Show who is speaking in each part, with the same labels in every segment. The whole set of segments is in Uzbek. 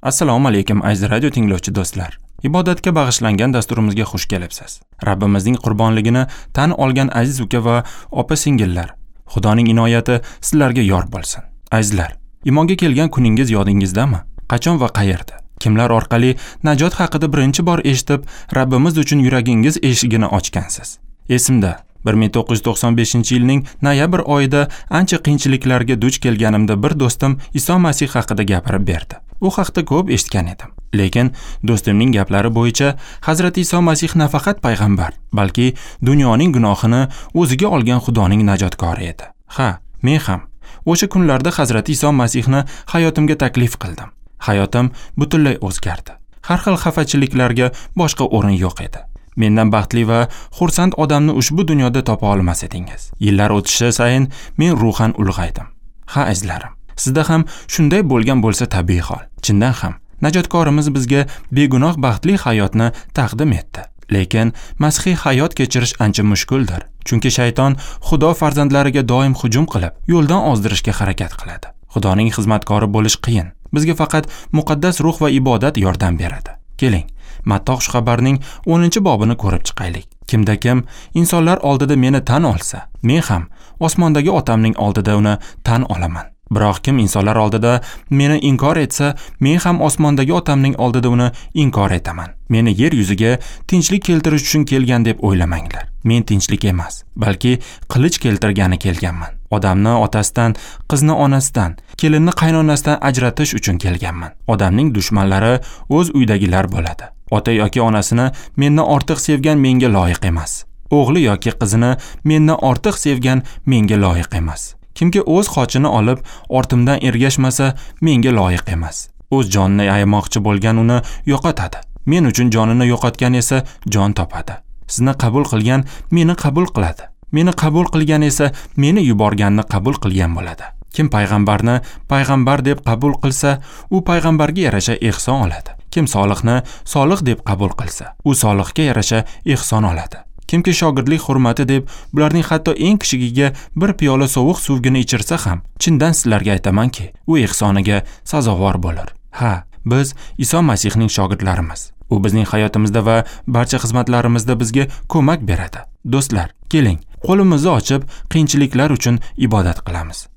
Speaker 1: Assalomu alaykum aziz radio tinglovchi do'stlar. Ibodatga bag'ishlangan dasturimizga xush kelibsiz. Rabbimizning qurbonligini tan olgan aziz uka va opa-singillar, Xudoning inoyati sizlarga yor bo'lsin. Azizlar, iymonga kelgan kuningiz yodingizdami? Qachon va qayerda? Kimlar orqali najot haqida birinchi bor eshitib, Rabbimiz uchun yuragingiz eshigini ochgansiz? Esimda, 1995-yilning noyabr oyida ancha qiyinchiliklarga duch kelganimda bir do'stim Iso Masih haqida gapirib berdi. U haqda ko'p eshitgan edim. Lekin do'stimning gaplari bo'yicha Hazrati Iso Masih nafaqat payg'ambar, balki dunyoning gunohini o'ziga olgan Xudoning najotkori edi. Ha, men ham o'sha kunlarda Hazrati Iso Masihni hayotimga taklif qildim. Hayotim butunlay o'zgardi. Har xil xafachiliklarga boshqa o'rin yo'q edi. Mendan baxtli va xursand odamni ushbu dunyoda topa olmas edingiz. Yillar o'tishi sayin men ruhan ulg'aydim. Ha, azizlarim, sizda ham shunday bo'lgan bo'lsa tabiiy hol. Chindan ham najotkorimiz bizga begunoh baxtli hayotni taqdim etdi. Lekin masihiy hayot kechirish ancha mushkuldir. Chunki shayton Xudo farzandlariga doim hujum qilib, yo'ldan ozdirishga harakat qiladi. Xudoning xizmatkori bo'lish qiyin. Bizga faqat muqaddas ruh va ibodat yordam beradi. Keling, Matta xushxabarning 10-bobini ko'rib chiqaylik. Kimda kim insonlar oldida meni tan olsa, men ham osmondagi otamning oldida uni tan olaman. Biroq kim insonlar oldida meni inkor etsa, men ham osmondagi otamning oldida uni inkor etaman. Meni yer yuziga tinchlik keltirish uchun kelgan deb o'ylamanglar. Men tinchlik emas, balki qilich keltirgani kelganman. Odamni otasidan, qizni onasidan, kelinni qaynonasidan ajratish uchun kelganman. Odamning dushmanlari o'z uydagilar bo'ladi. Ota yoki onasini mendan ortiq sevgan menga loyiq emas. O'g'li yoki qizini mendan ortiq sevgan menga loyiq emas. Kimki o'z xochini olib ortimdan ergashmasa, menga loyiq emas. O'z jonini ayamoqchi bo'lgan uni yo'qotadi. Men uchun jonini yo'qotgan esa jon topadi. Sizni qabul qilgan meni qabul qiladi. Meni qabul qilgan esa meni yuborganni qabul qilgan bo'ladi. Kim payg'ambarni payg'ambar deb qabul qilsa, u payg'ambarga yarasha ehson oladi. Kim soliqni soliq deb qabul qilsa, u soliqga yarasha ehson oladi. Kimki shogirdlik hurmati deb bularning hatto eng kichigiga bir piyola sovuq suvgina ichirsa ham, chindan sizlarga aytamanki, u ehsoniga sazovor bo'lar. Ha, biz Iso Masihning shogirdlarimiz. U bizning hayotimizda va barcha xizmatlarimizda bizga ko'mak beradi. Do'stlar, keling, qo'limizni ochib, qiyinchiliklar uchun ibodat qilamiz.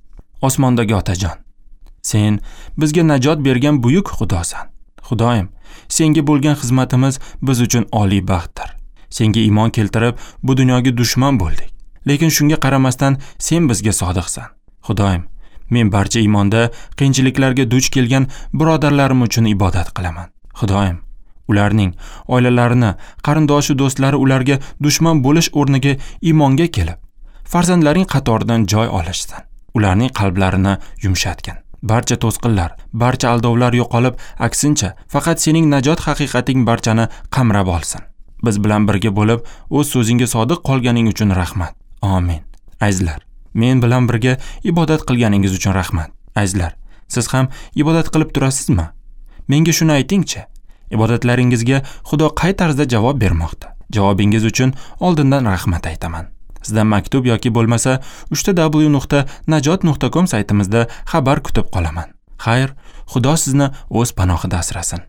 Speaker 1: Osmondagi Otajon, sen bizga najot bergan buyuk Xudosan. Xudoyim, senga bo'lgan xizmatimiz biz uchun oliy baxtdir. Senga iymon keltirib, bu dunyoga dushman bo'ldik. Lekin shunga qaramasdan sen bizga sodiqsan. Xudoyim, men barcha iymonda qiyinchiliklarga duch kelgan birodarlarim uchun ibodat qilaman. Xudoyim, ularning oilalarini, qarindoshi do'stlari ularga dushman bo'lish o'rniga iymonga kelib, farzandlaring qatoridan joy olishsin. Ularning qalblarini yumshatgin. Barcha to'sqinlar, barcha aldovlar yo'qolib, aksincha, faqat sening najot haqiqating barchani qamrab olsin. Biz bilan birga bo'lib, o'z so'zingga sodiq qolganing uchun rahmat. Amin. Azizlar, men bilan birga ibodat qilganingiz uchun rahmat. Azizlar, siz ham ibodat qilib turasizmi? Menga shuni aytingchi. Ibodatlaringizga Xudo qay tarzda javob bermoqda? Javobingiz uchun oldindan rahmat aytaman. Sizdan maktub yoki bo'lmasa www.najot.com saytimizda xabar kutib qolaman. Xayr, Xudo sizni o'z panohida asrasin.